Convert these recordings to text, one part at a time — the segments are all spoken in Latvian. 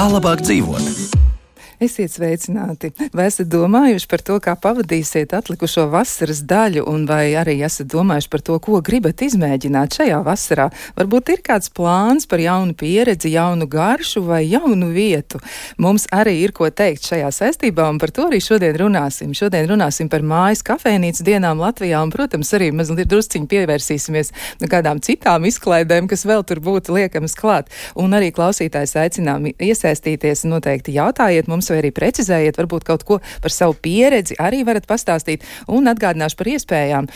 Kā labāk dzīvot? Esiet sveicināti! Vai esat domājuši par to, kā pavadīsiet atlikušo vasaras daļu, un vai arī esat domājuši par to, ko gribat izmēģināt šajā vasarā? Varbūt ir kāds plāns par jaunu pieredzi, jaunu garšu vai jaunu vietu. Mums arī ir ko teikt šajā saistībā, un par to arī šodien runāsim. Šodien runāsim par mājas kafejnīcu dienām Latvijā, un, protams, arī mazliet drusciņi pievērsīsimies kādām citām izklaidēm, kas vēl tur būtu liekamas klāt. Un arī klausītājs aicinām iesaistīties, noteikti jautājiet mums, vai arī precizējiet, varbūt kaut ko par savu pieredzi arī varat pastāstīt, un atgādināšu par iespējām.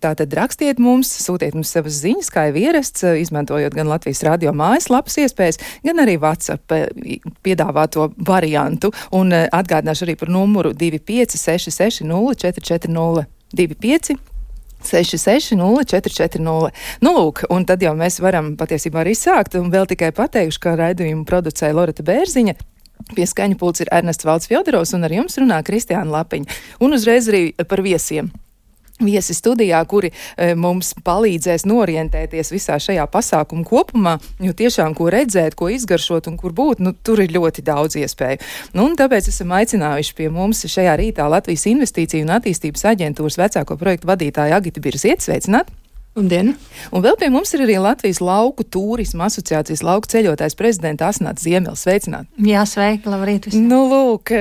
Tātad rakstiet mums, sūtiet mums savas ziņas, kā jau ierasts, izmantojot gan Latvijas radio mājaslapas iespējas, gan arī WhatsApp piedāvāto variantu, un atgādināšu arī par numuru 2566 0440 25 66 0440. Nu, lūk, un tad jau mēs varam patiesībā arī sākt, un vēl tikai pateikšu, ka raidījumu producēja Loreta Bērziņa. Pie skaņa pults ir Ernests Valds Fjodorovs, un ar jums runā Kristiāna Lapiņa. Un uzreiz arī par viesiem. Viesi studijā, kuri mums palīdzēs norientēties visā šajā pasākuma kopumā, jo tiešām ko redzēt, ko izgaršot un kur būt, tur ir ļoti daudz iespēju. Un tāpēc esam aicinājuši pie mums šajā rītā Latvijas Investīciju un attīstības aģentūras vecāko projektu vadītāju Agitu Birzieti. Sveicināt! Labdien! Un vēl pie mums ir arī Latvijas lauku turisma asociācijas lauku ceļotājs prezidenta Asnāta Ziemele. Sveicināt! Jā, sveiki, labrīt visiem! Nu, lūk,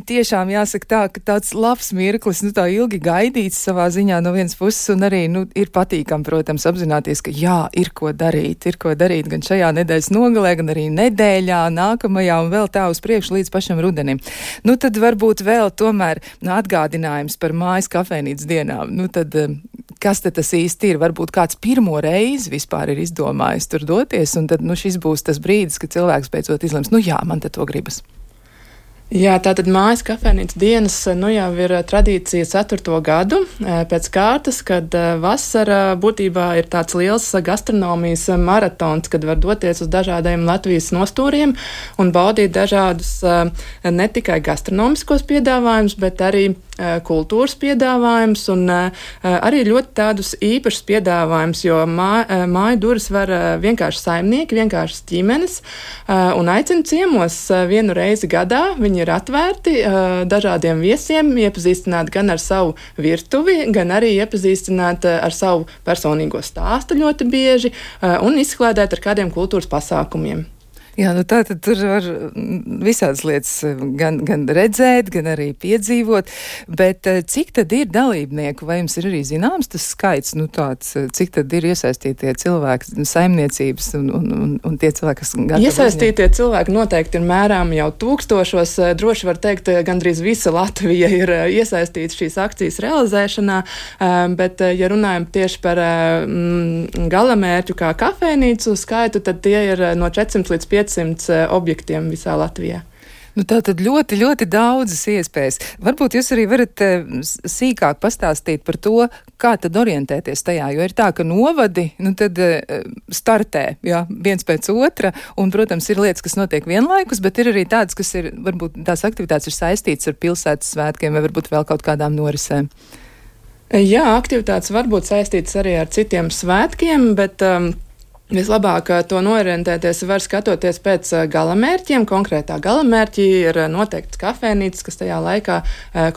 tiešām jāsaka tā, ka tāds labs mirklis, tā ilgi gaidīts savā ziņā no vienas puses, un arī, ir patīkam, protams, apzināties, ka jā, ir ko darīt gan šajā nedēļas nogalē, gan arī nedēļā, nākamajā un vēl tā uz priekšu līdz pašam rudenim. Tad varbūt vēl tomēr atgādinājums par mājas kafejnīcas dienām. Tad, kas tad tas īsti ir? Varbūt kāds pirmo reizi vispār ir izdomājis tur doties, un tad, šis būs tas brīdis, kad cilvēks beidzot izlems, jā, man te to gribas. Jā, tātad mājas kafejnīcas dienas jau ir tradīcija 4. gadu pēc kārtas, kad vasara būtībā ir tāds liels gastronomijas maratons, kad var doties uz dažādiem Latvijas nostūriem un baudīt dažādus ne tikai gastronomiskos piedāvājumus, bet arī kultūras piedāvājums un arī ļoti tādus īpašus piedāvājumus, jo māju durvis var vienkārši saimnieki, vienkārši ģimenes un aicina ciemos vienu reizi gadā. Viņi ir atvērti dažādiem viesiem, iepazīstināt gan ar savu virtuvi, gan arī iepazīstināt ar savu personīgo stāstu ļoti bieži un izklādēt ar kādiem kultūras pasākumiem. Jā, tā tad tur var visādas lietas gan redzēt, gan arī piedzīvot, bet cik tad ir dalībnieku, vai jums ir arī zināms tas skaits, tāds, cik tad ir iesaistītie cilvēki, saimniecības un tie cilvēki, kas gatavi iesaistītie cilvēki noteikti ir mērām jau tūkstošos, droši var teikt, gandrīz visa Latvija ir iesaistīta šīs akcijas realizēšanā, bet, ja runājam tieši par galamērķu kā kafejnīcu skaitu, tad tie ir no 400 līdz 500 objektiem visā Latvijā. Tā tad ļoti, ļoti daudzas iespējas. Varbūt jūs arī varat sīkāk pastāstīt par to, kā tad orientēties tajā, jo ir tā, ka novadi, tad startē, viens pēc otra, un, protams, ir lietas, kas notiek vienlaikus, bet ir arī tādas, kas ir, varbūt tās aktivitātes ir saistītas ar pilsētas svētkiem vai varbūt vēl kaut kādām norisēm. Jā, aktivitātes var būt saistītas arī ar citiem svētkiem, bet vislabāk to norientēties var skatoties pēc galamērķiem. Konkrētā galamērķī ir noteikts kafejnīcas, kas tajā laikā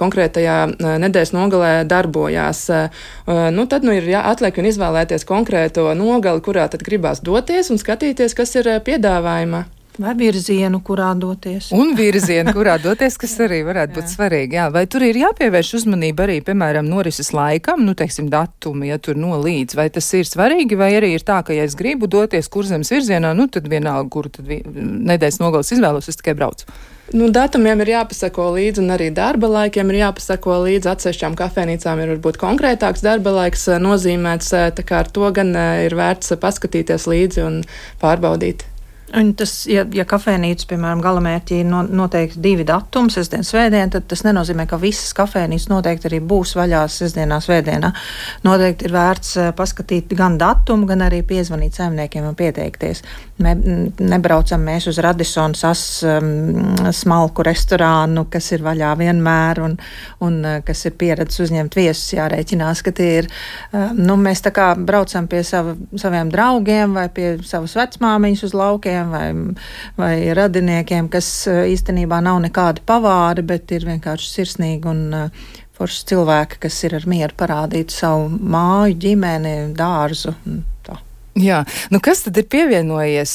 konkrētajā nedēļas nogalē darbojās. Tad ir atliek un izvēlēties konkrēto nogali, kurā tad gribās doties un skatīties, kas ir piedāvājumā. Vai virzienu, kurā doties. Un virzienu, kurā doties, kas arī varētu būt svarīgi. Jā. Vai tur ir jāpievērš uzmanība arī, piemēram, norises laikam, datumi, ja tur nolīdz, vai tas ir svarīgi, vai arī ir tā, ka, ja es gribu doties Kurzemes virzienā, tad vienalga, kuru tad nedēļas nogales izvēlos, es tikai braucu. Datumiem ir jāpasako līdzi, un arī darba laikiem ir jāpasako līdzi. Atsevišķām kafejnīcām ir varbūt konkrētāks darba laiks nozīmēts, tā kā ar to gan ir vērts paskatīties līdzi un pārbaudīt. Un tas, ja kafejnīcas, piemēram, galamērķī ir noteikti 2 datumi, sestdien, svētdien, tad tas nenozīmē, ka visas kafejnīcas noteikti arī būs vaļā sestdienā, svētdienā. Noteikti ir vērts paskatīt gan datumu, gan arī piezvanīt saimniekiem un pieteikties. Nebraucam mēs uz Radisson smalku restorānu, kas ir vaļā vienmēr un kas ir pieredzes uzņemt viesus, jārēķinās, ka tie ir. Mēs tā kā braucam pie saviem draugiem vai pie savas vecmāmiņas uz laukiem, vecākiem vai radiniekiem, kas īstenībā nav nekādi pavāri, bet ir vienkārši sirsnīgi un forši cilvēki, kas ir ar mieru parādīt savu māju, ģimeni, dārzu. Jā, nu kas tad ir pievienojies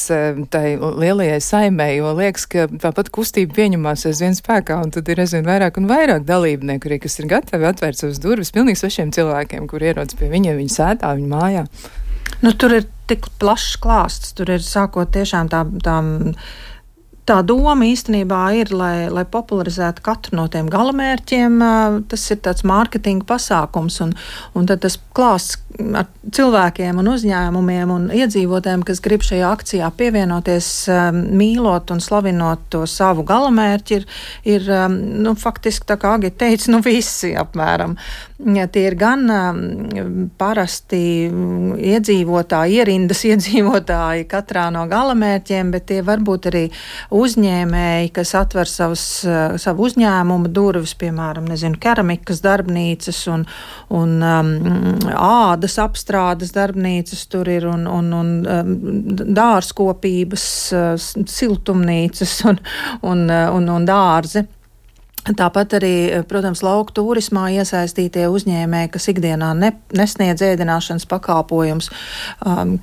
tai lielajai saimē, jo liekas, ka tāpat kustība pieņemās aizvien spēkā, un tad ir aizvien vairāk un vairāk dalībnieku, arī, kas ir gatavi atvērt savas durvis pilnīgi svešiem cilvēkiem, kur ierodas pie viņiem, viņa sētā, viņa mājā. Nu, tur ir tik plašs klāsts, tur ir sākot tiešām tā doma īstenībā ir, lai popularizētu katru no tiem galamērķiem. Tas ir tāds mārketinga pasākums, un tad tas klāsts ar cilvēkiem un uzņēmumiem un iedzīvotājiem, kas grib šajā akcijā pievienoties, mīlot un slavinot to savu galamērķi, ir faktiski, tā kā Agita teica, visi apmēram. Ja, tie ir gan parasti iedzīvotāji, ierindas iedzīvotāji katrā no galamērķiem, bet tie varbūt arī uzņēmēji, kas atver savu uzņēmumu durvis, piemēram, keramikas darbnīcas un ādas apstrādes darbnīcas tur ir un dārzkopības siltumnīcas un dārzi. Tāpat arī, protams, lauku turismā iesaistītie uzņēmēji, kas ikdienā nesniedz ēdināšanas pakalpojums,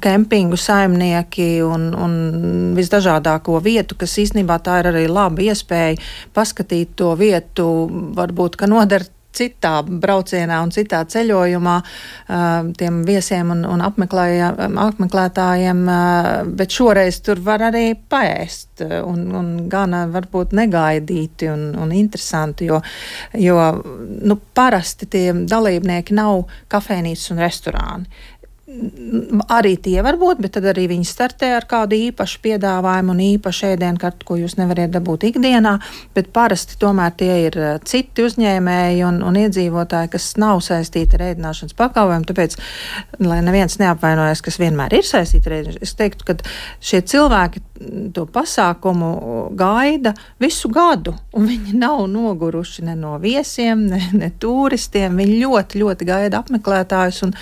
kempingu saimnieki un visdažādāko vietu, kas īstenībā tā ir arī laba iespēja paskatīt to vietu, varbūt, ka noder citā braucienā un citā ceļojumā tiem viesiem un apmeklētājiem, bet šoreiz tur var arī paēst un gan varbūt negaidīti un interesanti, jo parasti tie dalībnieki nav kafejnīcas un restorāni. Arī tie var būt, bet tad arī viņi startē ar kādu īpašu piedāvājumu un īpašu ēdienkartu, ko jūs nevariet dabūt ikdienā, bet parasti tomēr tie ir citi uzņēmēji un iedzīvotāji, kas nav saistīti ar ēdināšanas pakalpojumu, tāpēc, lai neviens neapvainojas, kas vienmēr ir saistīti ar ēdināšanas, es teiktu, ka šie cilvēki to pasākumu gaida visu gadu, un viņi nav noguruši ne no viesiem, ne turistiem, viņi ļoti, ļoti gaida apmeklētājus un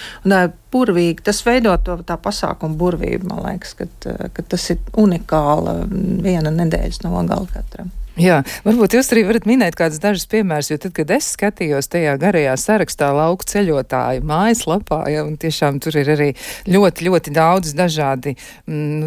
burvīgi. Tas veido tā pasākuma burvību, man liekas, ka tas ir unikāla viena nedēļas nogala katram. Jā, varbūt jūs arī varat minēt kādus dažus piemērus, jo tad, kad es skatījos tajā garajā sarakstā lauku ceļotāju mājaslapā, un tiešām tur ir arī ļoti, ļoti daudz dažādi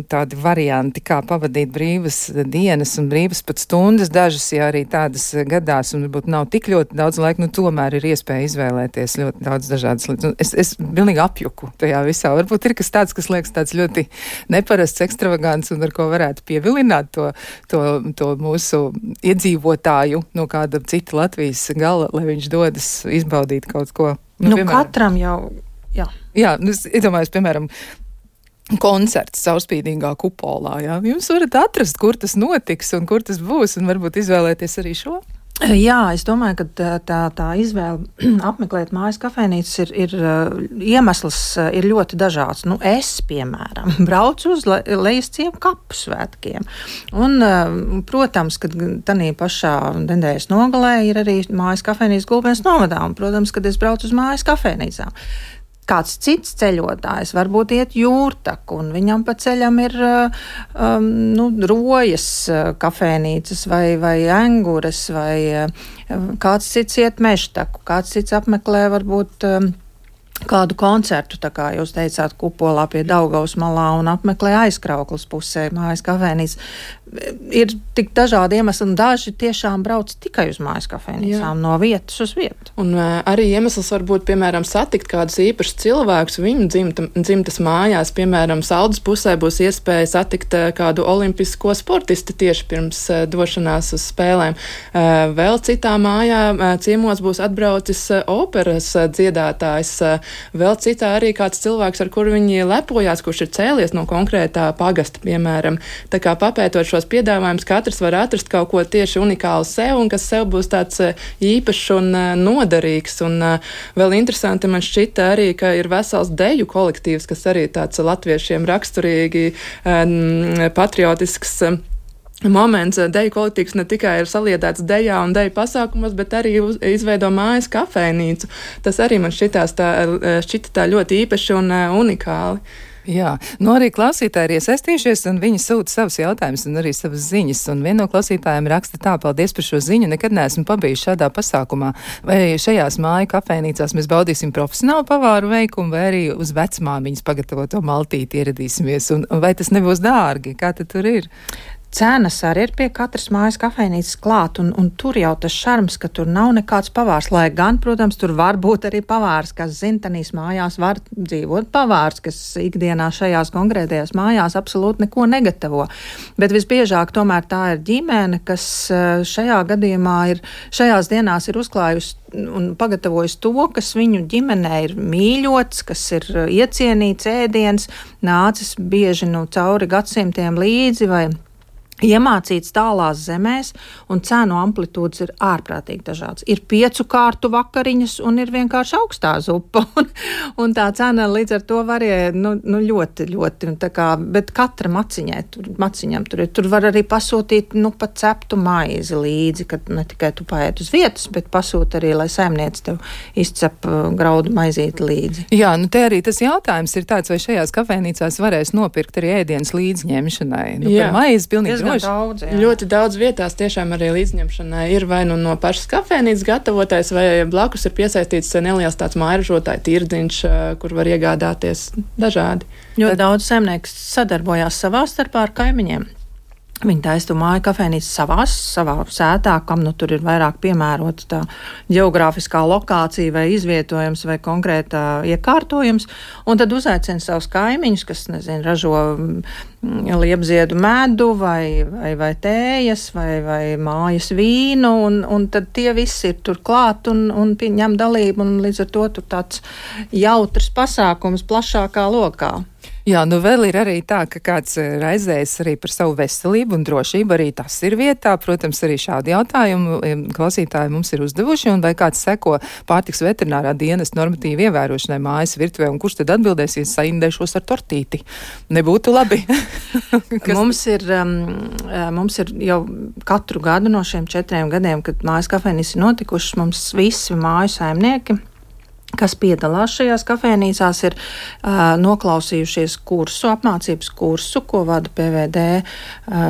tādi varianti, kā pavadīt brīvas dienas un brīvas pat stundas, dažas, ja arī tādas gadās, un varbūt nav tik ļoti daudz laika, tomēr ir iespēja izvēlēties ļoti daudz dažādas lietas. Es pilnīgi apjuku tajā visā. Varbūt ir kas tāds, kas liekas tāds ļoti neparasts, ekstravagants un ar ko varētu pievilināt to mūsu iedzīvotāju no kāda cita Latvijas gala, lai viņš dodas izbaudīt kaut ko. Katram jau, jā. Jā, es iedomājos, piemēram, koncerts caurspīdīgā kupolā, jā. Jūs varat atrast, kur tas notiks un kur tas būs, un varbūt izvēlēties arī šo. Jā, es domāju, ka tā izvēle apmeklēt mājas kafejnīcas ir iemesls ir ļoti dažāds. Es, piemēram, braucu uz Lejasciemu kapu svētkiem. Un, protams, ka tanī pašā nedēļas nogalē ir arī mājas kafejnīcas Gulbens novadā. Un, protams, kad es braucu uz mājas kafejnīcām. Kāds cits ceļotājs varbūt iet jūrtaku, un viņam pa ceļam ir rojas kafejnīcas vai engures, vai kāds cits iet mežtaku, kāds cits apmeklē varbūt kādu koncertu, tā kā jūs teicāt, kupolā pie Daugavas malā un apmeklē Aizkrauklas pusē mājas kafejnīcas. Ir tik dažādi iemesli, un daži tiešām brauc tikai uz mājas kafejnīcām, no vietas uz vietu. Un arī iemesls var būt, piemēram, satikt kādus īpašus cilvēkus viņu dzimtas mājās. Piemēram, Saldus pusē būs iespēja satikt kādu olimpisko sportistu tieši pirms došanās uz spēlēm. Vēl citā mājā ciemos būs atbraucis operas dziedātājs. Vēl citā arī kāds cilvēks, ar kuru viņi lepojās, kurš ir cēlies no konkrētā pagasta, piemēram. Tā kā papētot šos piedāvājumus, katrs var atrast kaut ko tieši unikālu sev, un kas sev būs tāds īpašs un noderīgs. Un vēl interesanti man šķita arī, ka ir vesels deju kolektīvs, kas arī tāds latviešiem raksturīgi patriotisks moments. Deju kolektīvs ne tikai ir saliedēts dejā un deju pasākumos, bet arī izveido mājas kafejnīcu. Tas arī man šķita tā ļoti īpaši un unikāli. Jā, nu arī klausītāji ir iesaistījušies, un viņi sūta savus jautājumus un arī savas ziņas. Un viena no klausītājiem raksta tā: paldies par šo ziņu, nekad neesmu pabijis šādā pasākumā. Vai šajās māju kafejnīcās mēs baudīsim profesionālu pavāru veikumu, vai arī uz vecmāmiņas pagatavoto maltīti ieradīsimies? Un vai tas nebūs dārgi? Kā tad tur ir? Cenas arī ir pie katras mājas kafejnīcas klāt, un tur jau tas šarms, ka tur nav nekāds pavārs, lai gan, protams, tur var būt arī pavārs, kas zintanīs mājās var dzīvot pavārs, kas ikdienā šajās konkrētajās mājās absolūti neko negatavo. Bet visbiežāk tomēr tā ir ģimene, kas šajā gadījumā šajās dienās ir uzklājusi un pagatavojis to, kas viņu ģimenē ir mīļots, kas ir iecienīts ēdiens, nācis bieži cauri gadsimtiem līdzi vai iemācīts tālās zemēs, un cenu amplitūdas ir ārprātīgi dažādas. Ir 5 kārtu vakariņas un ir vienkārši augstā zupa, un tā cena līdz ar to varēja ļoti, ļoti, bet katra maciņam tur var arī pasūtīt, pat ceptu maizi līdzi, kad ne tikai tu paēd uz vietas, bet pasūt arī, lai saimniec tev izcep graudu maizīti līdzi. Jā, te arī tas jautājums ir tāds, vai šajās kafejnīcās varēs nopirkt arī ēdienas līdzņemšanai. Par maizi pilnīgi daudz, ļoti daudz vietās tiešām arī līdzņemšanai ir vai no pašas kafejnīcas gatavotais, vai blakus ir piesaistīts neliels tāds mājražotāju tirdziņš, kur var iegādāties dažādi. Ļoti daudz saimnieks sadarbojās savā starpā ar kaimiņiem. Viņi taisa to māju kafejnīcu savā sētā, kam tur ir vairāk piemērota tā ģeogrāfiskā lokācija vai izvietojums vai konkrētā iekārtojums, un tad uzaicina savus kaimiņus, kas, ražo liepziedu medu vai tējas vai mājas vīnu, un tad tie visi ir tur klāt un ņem dalību, un līdz ar to tur tāds jautrs pasākums plašākā lokā. Jā, vēl ir arī tā, ka kāds raizējas arī par savu veselību un drošību, arī tas ir vietā. Protams, arī šādi jautājumi klausītāji mums ir uzdevuši, un vai kāds seko pārtiks veterinārā dienas normatīvu ievērošanai mājas virtuvē, un kurš tad atbildēsies saindēšos ar tortīti? Nebūtu labi. Mums ir jau katru gadu no šiem 4 gadiem, kad mājas kafejnīcas ir notikušas, mums visi māju saimnieki, kas piedalās šajās kafejnīcās, ir noklausījušies apmācības kursu, ko vada PVD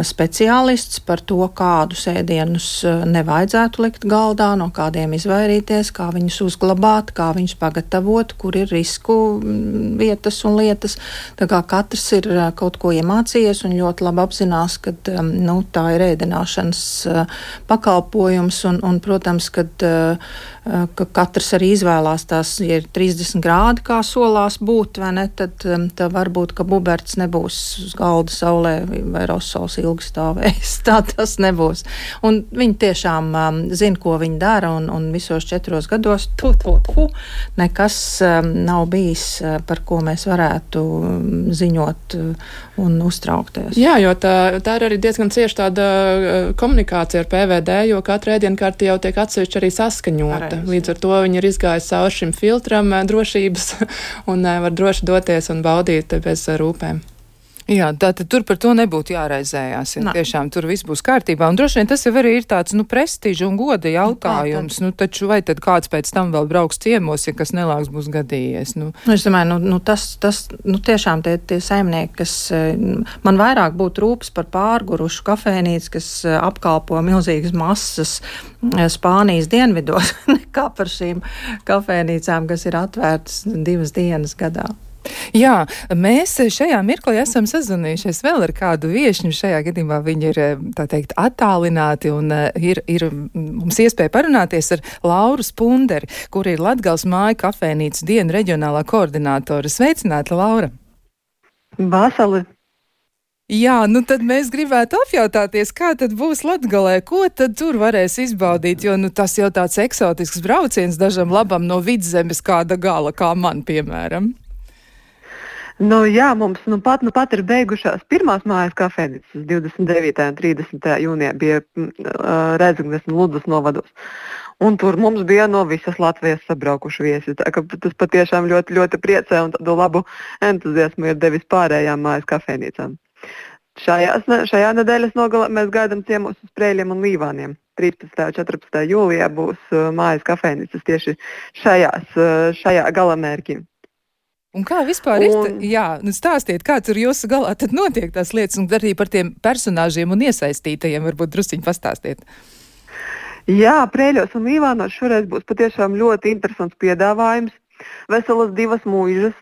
speciālists par to, kādus ēdienus nevajadzētu likt galdā, no kādiem izvairīties, kā viņus uzglabāt, kā viņus pagatavot, kur ir risku vietas un lietas. Tā kā katrs ir kaut ko iemācījies un ļoti labi apzinās, ka tā ir ēdināšanas pakalpojums un protams, ka katrs arī izvēlās tās, ja ir 30 grādi, kā solās būt, vai ne, tad varbūt, ka buberts nebūs uz galda saulē vai rosols ilgi stāvēs. Tā tas nebūs. Un viņi tiešām zina, ko viņi dara, un visos 4 gados nekas nav bijis, par ko mēs varētu ziņot un uztraukties. Jā, jo tā ir arī diezgan cieši tāda komunikācija ar PVD, jo katra ēdienkarte jau tiek atsevišķi arī saskaņota. Līdz ar to viņi ir izgājis cauri šim filtram drošības un var droši doties un baudīt bez rūpēm. Jā, tātad tur par to nebūtu jāraizējās. Ja tiešām tur viss būs kārtībā. Un droši vien tas jau arī ir tāds, prestiža un goda jautājums. Taču vai tad kāds pēc tam vēl brauks ciemos, ja kas nelāks būs gadījies? Es domāju, tas tiešām tie saimnieki, kas man vairāk būtu rūpes par pārgurušu kafejnīcu, kas apkalpo milzīgas masas Spānijas dienvidos, nekā par šīm kafejnīcām, kas ir atvērtas 2 dienas gadā. Jā, mēs šajā mirklī esam sazvanījušies vēl ar kādu viešņu. Šajā gadījumā viņi ir, tā teikt, attālināti un ir mums iespēja parunāties ar Lauru Spunderi, kur ir Latgales māju kafejnīcas dienu reģionālā koordinātora. Sveicināta, Laura! Vasali! Jā, tad mēs gribētu apjautāties, kā tad būs Latgalē, ko tad tur varēs izbaudīt, jo tas jau tāds eksotisks brauciens dažam labam no vidzemes kāda gala, kā man, piemēram. Jā, mums pat ir beigušās pirmās mājas kafejnīcas 29. un 30. jūnijā bija Rēzeknes un Ludzas novados. Un tur mums bija no visas Latvijas sabraukuši viesi. Tā ka tas patiešām ļoti, ļoti priecē un tādu labu entuziasmu ir devis pārējām mājas kafejnīcām. Šajā nedēļas nogalē mēs gaidām ciemos uz Prēļiem un Līvāniem. 13. un 14. jūlijā būs mājas kafejnīcas tieši šajā galamērķī. Un kā vispār stāstiet, kā tur jūsu galā tad notiek tās lietas, un arī par tiem personāžiem un iesaistītajiem varbūt drusciņi pastāstiet. Jā, Prēļos un Līvānos šoreiz būs patiešām ļoti interesants piedāvājums. Veselas 2 mūžas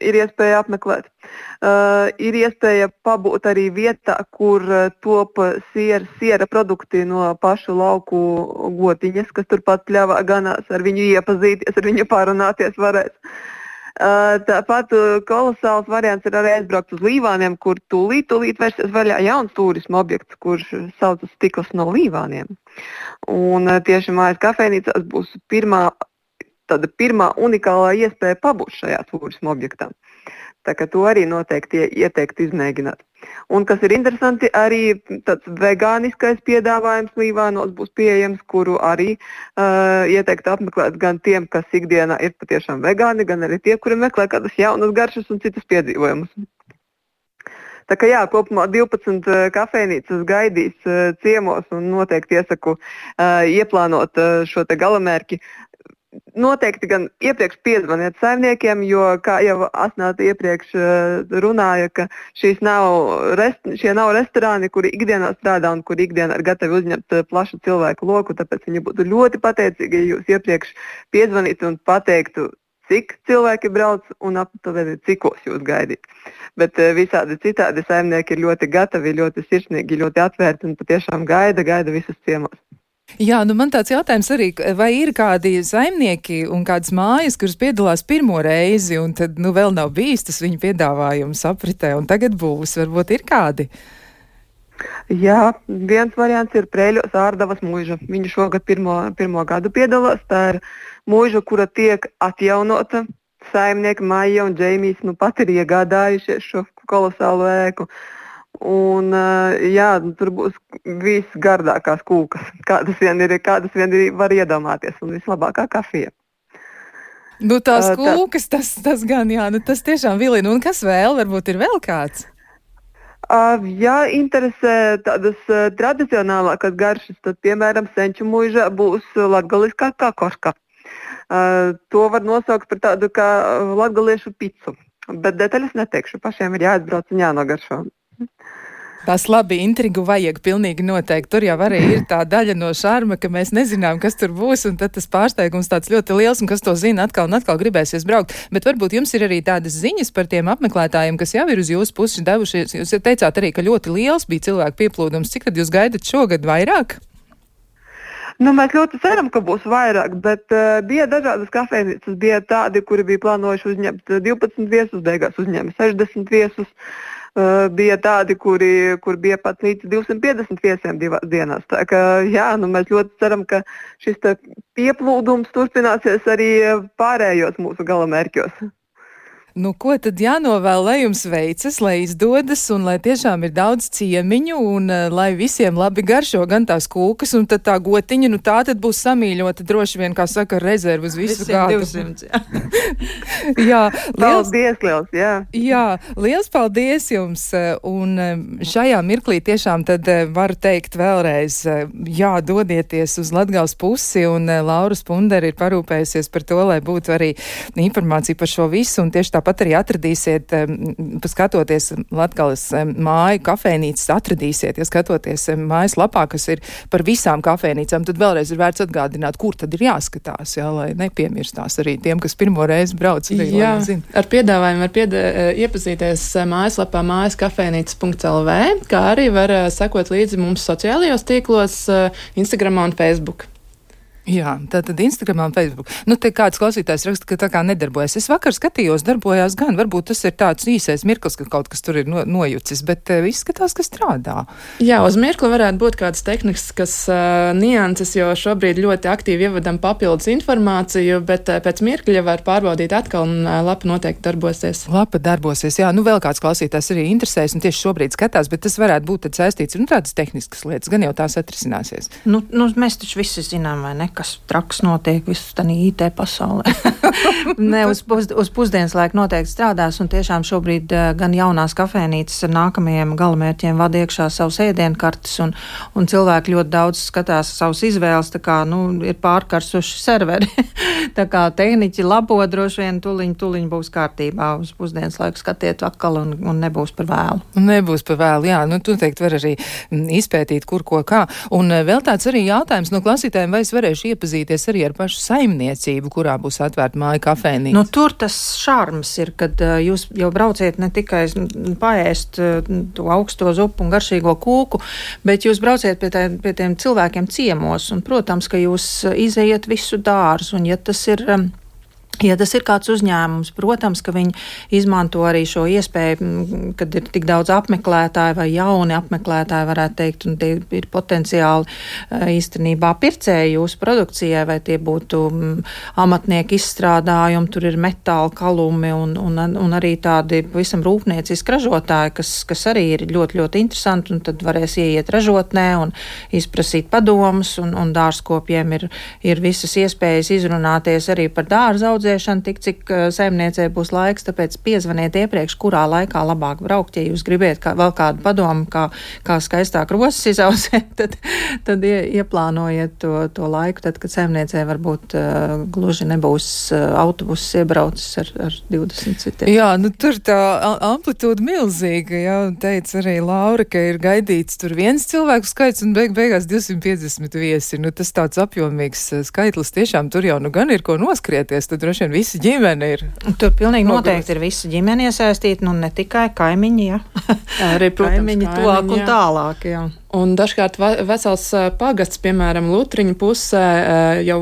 ir iespēja apmeklēt. Ir iespēja pabūt arī vietā, kur top siera produkti no pašu lauku gotiņas, kas turpat pļavā ganās, ar viņu iepazīties, ar viņu parunāties varēs. Tāpat kolosāls variants ir arī aizbraukt uz Līvāniem, kur tūlīt vērsies vaļā jauns turisma objekts, kurš saucas Stikls no Līvāniem. Un tieši mājas kafejnīcās būs pirmā unikālā iespēja pabūt šajā turisma objektā. Tā kā to arī noteikti ieteikt izmēģināt. Un kas ir interesanti, arī tāds vegāniskais piedāvājums Līvānos būs pieejams, kuru arī ieteikt apmeklēt gan tiem, kas ikdienā ir patiešām vegāni, gan arī tie, kuri meklē kādas jaunas garšas un citas piedzīvojumus. Tā kā jā, kopumā 12 kafejnīcas gaidīs ciemos un noteikti iesaku ieplānot šo te galamērķi. Noteikti gan iepriekš piezvaniet saimniekiem, jo, kā jau Asnāta iepriekš runāja, ka šie nav restorāni, kuri ikdienā strādā un kuri ikdienā ir gatavi uzņemt plašu cilvēku loku, tāpēc viņi būtu ļoti pateicīgi, ja jūs iepriekš piezvanītu un pateiktu, cik cilvēki brauc un aptuveni cikos jūs gaidīt. Bet visādi citādi saimnieki ir ļoti gatavi, ļoti sirsnīgi, ļoti atvērti un patiešām gaida visus ciemos. Jā, man tāds jautājums arī, vai ir kādi saimnieki un kādas mājas, kuras piedalās pirmo reizi un tad vēl nav bijis tas viņu piedāvājums apritē un tagad būs, varbūt ir kādi? Jā, viens variants ir Prēļos Ārdavas mūža. Viņa šogad pirmo gadu piedalās. Tā ir mūža, kura tiek atjaunota. Saimnieki Maija un Džeimijs pat ir iegādājušies šo kolosālo ēku. Un, tur būs visgardākās kūkas, kādas vien var iedomāties, un vislabākā kafija. Tās kūkas, tas gan, tas tiešām vilina. Un kas vēl? Varbūt ir vēl kāds? Ja interesē tādas tradicionālākas garšas, tad, piemēram, Senču mūžā būs latgaliskā kakoška. To var nosaukt par tādu kā latgaliešu picu, bet detaļas neteikšu, pašiem ir jāatbrauc un jānogaršo. Tās labi intrigu vajag pilnīgi noteikti. Tur jau arī ir tā daļa no šarma, ka mēs nezinām, kas tur būs, un tad tas pārsteigums tāds ļoti liels, un kas to zina, atkal un atkal gribēsies braukt. Bet varbūt jums ir arī tādas ziņas par tiem apmeklētājiem, kas jau ir uz jūsu pusi devušies. Jūs teicāt arī, ka ļoti liels bija cilvēku pieplūdums. Cik tad jūs gaidat šogad vairāk? Mēs ļoti ceram, ka būs vairāk, bet bija dažādas kafejnīcas. Bija tādi, kuri bija plānojuši uzņemt 12 viesus, beigās uzņēma 60 viesus. Bija tādi, kur bija pat līdz 250 viesiem 2 dienās. Tā kā, mēs ļoti ceram, ka šis pieplūdums turpināsies arī pārējos mūsu galamērķos. Ko tad jānovēl, lai jums veicas, lai izdodas un lai tiešām ir daudz ciemiņu un lai visiem labi garšo gan tās kūkas un tad tā gotiņa, tā tad būs samīļota droši vien, kā saka, rezervu uz visu gadu. 200, jā. Paldies, liels, jā. Jā, liels paldies jums un šajā mirklī tiešām tad varu teikt vēlreiz, dodieties uz Latgales pusi un Laura Spundere ir parūpējusies par to, lai būtu arī informācija par šo visu un tieši tāpat arī atradīsiet, skatoties Latgales māju kafejnīcas, atradīsiet, skatoties mājas lapā, kas ir par visām kafejnīcām, tad vēlreiz ir vērts atgādināt, kur tad ir jāskatās, lai nepiemirstās arī tiem, kas pirmo reizi brauc. Jā, ar piedāvājumu var iepazīties mājaslapā mājaskafejnīcas.lv, kā arī var sekot līdzi mums sociālajos tīklos, Instagramā un Facebook. Jā, tātad Instagramā un Facebook. Te kāds klausītājs raksta, ka tā kā nedarbojas. Es vakar skatījos, darbojās gan. Varbūt tas ir tāds īsais mirklis, ka kaut kas tur ir nojucis, bet izskatās, ka strādā. Jā, uz mirkli varētu būt kādas tehniskas nianses, jo šobrīd ļoti aktīvi ievadam papildus informāciju, bet pēc mirkļa var pārbaudīt atkal un lapa noteikti darbosies. Lapa darbosies, jā. Vēl kāds klausītājs arī interesēs un tieši šobrīd skatās, bet tas varētu būt tad saistīts tādas tehniskas lietas, gan jau tās atrisināsies. Mēs taču visi zinām, vai ne? kas traks notiek visu tanī IT pasaulē. Ne, uz pusdienas laiku noteikti strādās, un tiešām šobrīd gan jaunās kafēnīcas ar nākamajiem galamērķiem vada iekšā savus ēdienkartes, un cilvēki ļoti daudz skatās savus izvēles, tā kā, ir pārkarsuši serveri. Tā kā tehniķi labo droši vien tuliņ būs kārtībā uz pusdienas laiku skatiet atkal un nebūs par vēlu. Nebūs par vēlu, jā. Tu teikt var arī izpētīt, kur ko kā. Un vēl tāds arī jautājums no klausītājiem, vai es varēšu iepazīties arī ar pašu saimniecību, kurā būs atvērta māja kafēnīca? Tur tas šarms ir, kad jūs jau brauciet ne tikai paēst to augsto zupu un garšīgo kūku, bet jūs brauciet pie tiem cilvēkiem ciemos, un, protams, ka jūs izejiet visu dārzu, un ja tas ir kāds uzņēmums, protams, ka viņi izmanto arī šo iespēju, kad ir tik daudz apmeklētāju vai jauni apmeklētāji, varētu teikt, un tie ir potenciāli īstenībā pircēji jūsu produkcijai, vai tie būtu amatnieki izstrādājumi, tur ir metāla kalumi un arī tādi pavisam rūpnieciski ražotāji, kas arī ir ļoti, ļoti interesanti, un tad varēs ieiet ražotnē un izprasīt padomus, un dārzkopjiem ir visas iespējas izrunāties arī par dārza audzēšanu, tik cik saimniecei būs laiks, tāpēc piezvaniet iepriekš, kurā laikā labāk braukt, ja jūs gribiet vēl kādu padomu, kā skaistāk rosas izaudzēt, tad ieplānojiet to laiku, tad, kad saimniecei varbūt gluži nebūs autobuss iebraucis ar 20 citiem. Jā, tur tā amplitūda milzīga, jā, teica arī Laura, ka ir gaidīts tur viens cilvēku skaits un beigās 250 viesi. Tas tāds apjomīgs skaitlis, tiešām tur jau gan ir ko noskrieties, tad droši vien visa ģimene ir. Tur pilnīgi noteikti ir visa ģimene iesaistīta, ne tikai kaimiņi, jā. Arī, protams, kaimiņi tuvāk un tālāk, jā. Un dažkārt vesels pagasts, piemēram, Lutriņu pusē, jau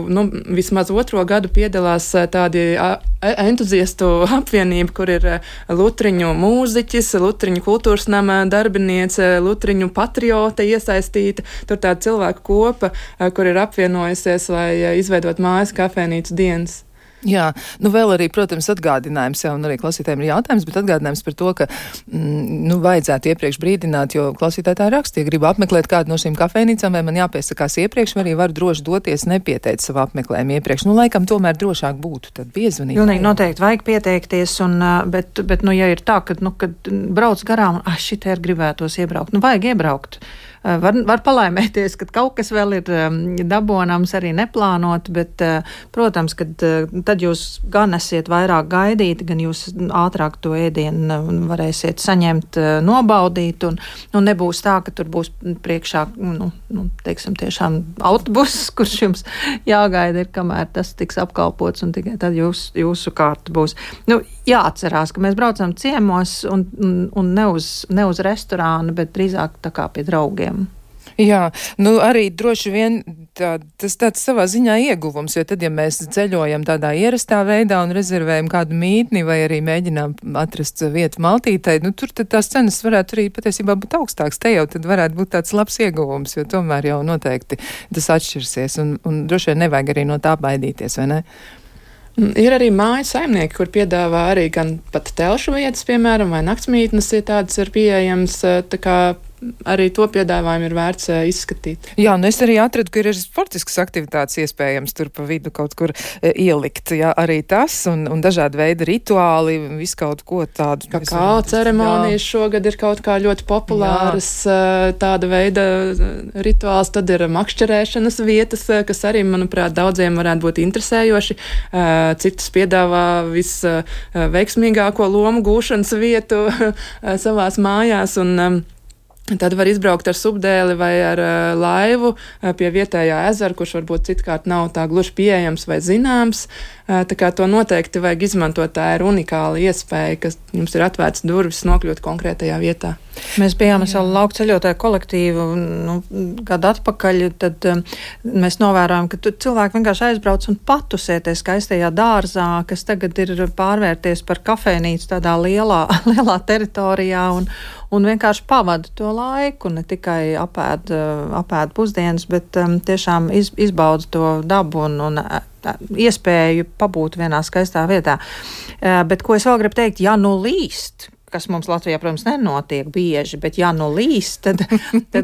vismaz 2. gadu piedalās tādi entuziastu apvienība, kur ir Lutriņu mūziķis, Lutriņu kultūras nama darbiniece, Lutriņu patriote iesaistīta. Tur tāda cilvēku kopa, kur ir apvienojusies, lai izveidot mājas kafēnīcu dienas. Jā, vēl arī, protams, atgādinājums jau, un arī klausītājiem ir jautājums, bet atgādinājums par to, ka, vajadzētu iepriekš brīdināt, jo klausītāji tā raksta, ja gribu apmeklēt kādu no šīm kafēnīcām, vai man jāpiesakās iepriekš, vai arī var droši doties nepieteikt savu apmeklējumu iepriekš. Laikam tomēr drošāk būtu tad piezvanīt. Pilnīgi noteikti vajag pieteikties, bet ja ir tā, kad brauc garām, šitā ir gribētos iebraukt, vajag iebraukt. Var palaimēties, ka kaut kas vēl ir dabonams arī neplānot, bet, protams, kad tad jūs gan esiet vairāk gaidīti, gan jūs ātrāk to ēdienu varēsiet saņemt, nobaudīt, un nebūs tā, ka tur būs priekšā, teiksim, tiešām autobuss, kurš jums jāgaida ir, kamēr tas tiks apkalpots, un tikai tad jūsu kārta būs. Jāatcerās, ka mēs braucam ciemos un ne uz restorānu, bet drīzāk tā kā pie draugiem. Jā, arī droši vien tas tāds savā ziņā ieguvums, jo tad, ja mēs ceļojam tādā ierastā veidā un rezervējam kādu mītni vai arī mēģinām atrast vietu maltītei, tur tad tās cenas varētu arī patiesībā būt augstāks. Te jau tad varētu būt tāds labs ieguvums, jo tomēr jau noteikti tas atšķirsies un droši vien nevajag arī no tā baidīties, vai ne? Ir arī māju saimnieki, kur piedāvā arī gan pat telšu vietas, piemēram, vai naktsmītnes, ja tādas ir pieejams, tā kā arī to piedāvājumu ir vērts izskatīt. Jā, es arī atradu, ka ir sportiskas aktivitātes iespējams tur pa vidu kaut kur ielikt. Jā, arī tas un dažādi veidi rituāli, visu kaut ko tādu. Kakao ceremonijas šogad ir kaut kā ļoti populāras, tāda veida rituāls. Tad ir makšķerēšanas vietas, kas arī, manuprāt, daudziem varētu būt interesējoši. Citus piedāvā visveiksmīgāko lomu gūšanas vietu savās mājās un tad var izbraukt ar subdēli vai ar laivu pie vietējā ezera, kurš varbūt citkārt nav tā gluži pieejams vai zināms. Tā kā to noteikti vajag izmantot, tā ir unikāla iespēja, ka jums ir atvērts durvis nokļūt konkrētajā vietā. Mēs bijām ar savu lauku ceļotāju kolektīvu gadu atpakaļ, tad mēs novērojam, ka cilvēki vienkārši aizbrauc un patusēties skaistajā dārzā, kas tagad ir pārvērties par kafēnīcu tādā lielā teritorijā un vienkārši pavada to laiku, ne tikai apēd pusdienas, bet tiešām izbauda to dabu un iespēju pabūt vienā skaistā vietā. Bet ko es vēl gribu teikt, ja līst, kas mums Latvijā, protams, nenotiek bieži, bet ja nu līs, tad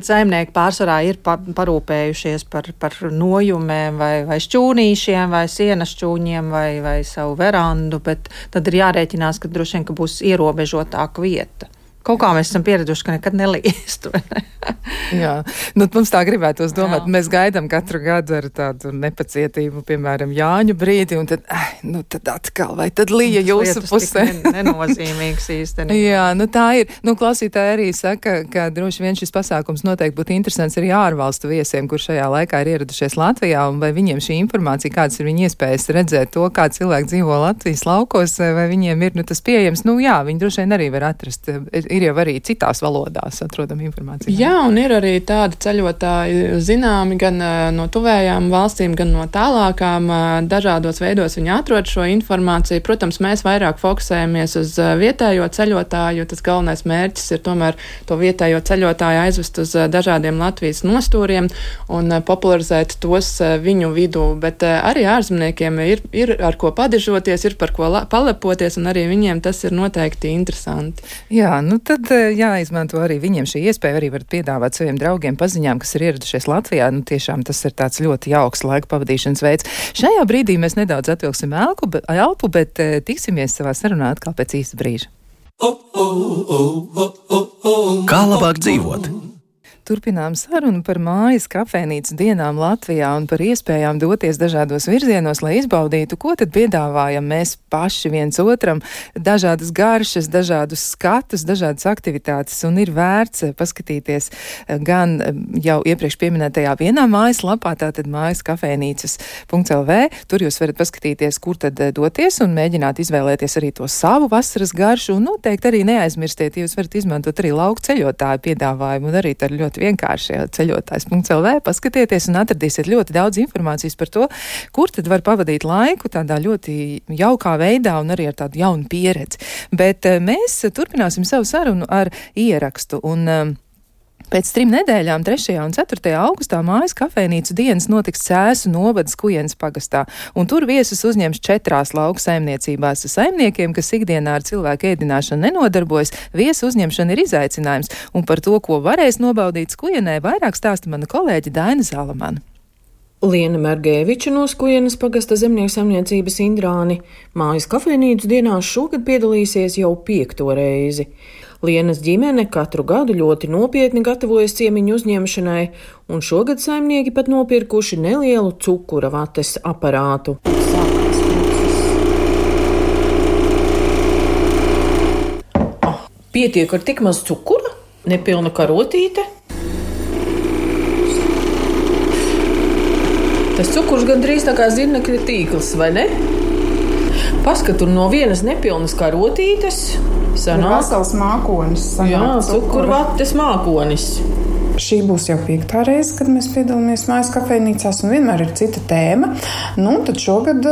saimnieki pārsvarā ir parūpējušies par nojumēm vai šķūnīšiem vai sienas šķūņiem vai savu verandu, bet tad ir jārēķinās, ka droši vien, ka būs ierobežotāka vieta. Kaut kā mēs esam pieraduši, ka nekad nelīst. Jā, mums tā gribētos domāt. Jā. Mēs gaidām katru gadu ar tādu nepacietību, piemēram, Jāņu brīdi, un tad atkal, vai tad lija jūsu pusē? Nenozīmīgs īstenībā. Jā, tā ir. Klausītāji arī saka, ka droši vien šis pasākums noteikti būtu interesants arī ārvalstu viesiem, kur šajā laikā ir ieradušies Latvijā, un vai viņiem šī informācija, kādas ir viņa iespējas redzēt to, kā cilvēki dzīvo Latvijas laukos, vai viņiem ir tas pieejams. Jā, viņi droši vien arī var atrast. Ir jau arī citās valodās atrodama informācija. Jā, un ir arī tādi ceļotāji zināmi gan no tuvējām valstīm, gan no tālākām. Dažādos veidos viņi atrod šo informāciju. Protams, mēs vairāk fokusējamies uz vietējo ceļotāju. Tas galvenais mērķis ir tomēr to vietējo ceļotāju aizvest uz dažādiem Latvijas nostūriem un popularizēt tos viņu vidū. Bet arī ārzemniekiem ir ar ko padižoties, ir par ko palepoties, un arī viņiem tas ir noteikti interesanti. Jā, tad jāizmanto arī viņiem šī iespēja, arī varat piedāvāt saviem draugiem, paziņām, kas ir ieradušies Latvijā. Tiešām tas ir tāds ļoti jauks laika pavadīšanas veids. Šajā brīdī mēs nedaudz atvilksim elpu, bet tiksimies savā sarunā atkal pēc īsta brīža. Kā labāk dzīvot? Turpinām sarunu par mājas kafejnīcu dienām Latvijā un par iespējām doties dažādos virzienos, lai izbaudītu, ko tad piedāvājam mēs paši viens otram, dažādas garšas, dažādus skatus, dažādas aktivitātes, un ir vērts paskatīties gan jau iepriekš pieminētajā vienā mājaslapā, tātad mājas kafejnīcas.lv, tur jūs varat paskatīties, kur tad doties un mēģināt izvēlēties arī to savu vasaras garšu, un noteikti arī neaizmirstiet, jūs varat izmantot arī lauku ceļotāju piedāvājumu, un arī tā ļoti vienkārši ceļotājs.lv, paskatieties un atradīsiet ļoti daudz informācijas par to, kur tad var pavadīt laiku tādā ļoti jaukā veidā un arī ar tādu jaunu pieredzi. Bet mēs turpināsim savu sarunu ar ierakstu, un pēc 3 nedēļām, 3. un 4. augustā, mājas kafejnīcu dienas notiks Cēsu novadas Kujenes pagastā, un tur viesus uzņems 4 lauku saimniecībās. Saimniekiem, kas ikdienā ar cilvēku ēdināšanu nenodarbojas, viesu uzņemšana ir izaicinājums, un par to, ko varēs nobaudīt Kujenē, vairāk stāsta mana kolēģe Daina Zalamana. Liena Mergēviča no Kujenes pagasta zemnieku saimniecības Indrāni mājas kafejnīcu dienās šogad piedalīsies jau 5. reizi. Lienas ģimene katru gadu ļoti nopietni gatavojas ciemiņu uzņemšanai, un šogad saimnieki pat nopirkuši nelielu cukura vates aparātu. Pietiek ar tik maz cukura? Nepilna karotīte? Tas cukurs gandrīz tā kā zirnekļa tīkls, vai ne? Paskat, no vienas nepilnas karotītes sanāk vesels mākonis. Jā, cukurvates mākonis. Šī būs jau 5. reize, kad mēs piedalāmies mājas kafejnīcās, un vienmēr ir cita tēma. Tad šogad